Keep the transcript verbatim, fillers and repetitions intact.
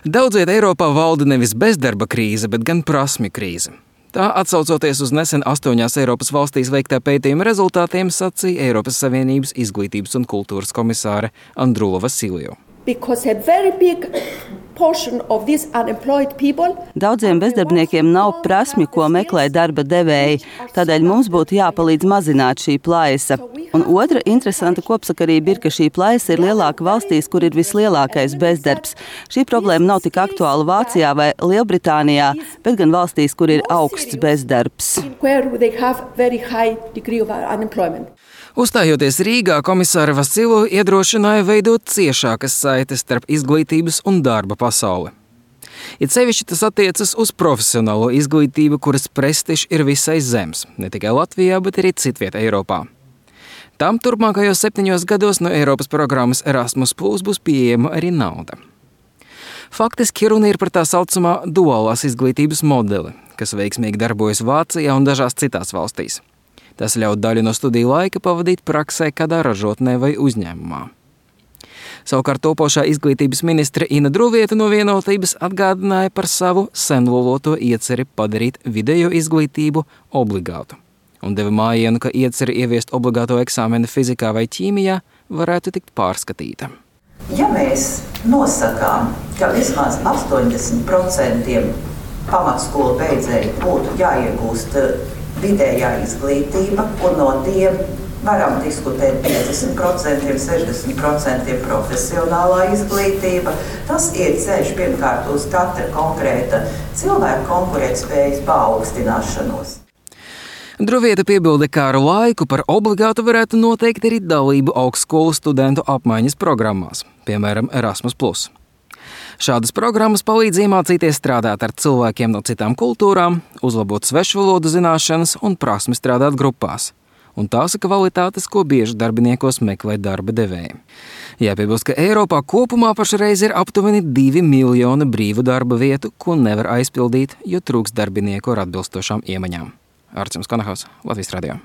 Daudz viet Eiropā valda nevis bezdarba krīze, bet gan prasmju krīze. Tā, atsaucoties uz nesen astoņās Eiropas valstīs veiktā pētījuma rezultātiem, sacīja Eiropas Savienības izglītības un kultūras komisāre Andrula Vasiljo. Daudziem bezdarbniekiem nav prasmi, ko meklē darba devēji, tādēļ mums būtu jāpalīdz mazināt šī plaisa. Un otra interesanta kopsakarība ir, ka šī plaisa ir lielāka valstīs, kur ir vislielākais bezdarbs. Šī problēma nav tik aktuāla Vācijā vai Lielbritānijā, bet gan valstīs, kur ir augsts bezdarbs. Uzstājoties Rīgā, komisāre Vasiljo iedrošināja veidot ciešākas saites starp izglītības un darba pasauli. It sevišķi tas attiecas uz profesionālo izglītību, kuras prestižs ir visai zems, ne tikai Latvijā, bet arī citviet Eiropā. Tam turpmākajos septiņos gados no Eiropas programmas Erasmus plus būs pieejama arī nauda. Faktiski runa ir par tā saucamā duālās izglītības modeli, kas veiksmīgi darbojas Vācijā un dažās citās valstīs. Tas ļauj daļu no studiju laika pavadīt praksē kādā ražotnē vai uzņēmumā. Savukārt topošā izglītības ministre Ina Druvieta no Vienotības atgādināja par savu senloloto ieceri padarīt video izglītību obligātu un deva mājienu, ka ieceri ieviest obligāto eksāmenu fizikā vai ķīmijā varētu tikt pārskatīta. Ja mēs nosakām, ka vismaz astoņdesmit procenti pamatskolu beidzēji būtu jāiegūst vidējā izglītība, un no tiem varam diskutēt piecdesmit procenti, sešdesmit procenti profesionālā izglītība. Tas ir ceļš pirmkārt uz katra konkrēta cilvēka konkurētspējas paaugstināšanos. Druvieta piebilda, ka ar laiku par obligātu varētu noteikt arī dalību augstskolu studentu apmaiņas programmās, piemēram, Erasmus plus. Šādas programmas palīdz iemācīties strādāt ar cilvēkiem no citām kultūrām, uzlabot svešvalodu zināšanas un prasmi strādāt grupās. Un tās ir kvalitātes, ko bieži darbiniekos meklē darba devēji. Jāpiebilst, ka Eiropā kopumā pašreiz ir aptuveni divi miljoni brīvu darba vietu, ko nevar aizpildīt, jo trūks darbinieku ar atbilstošām iemaņām. Arcims Konahaus, Latvijas radio.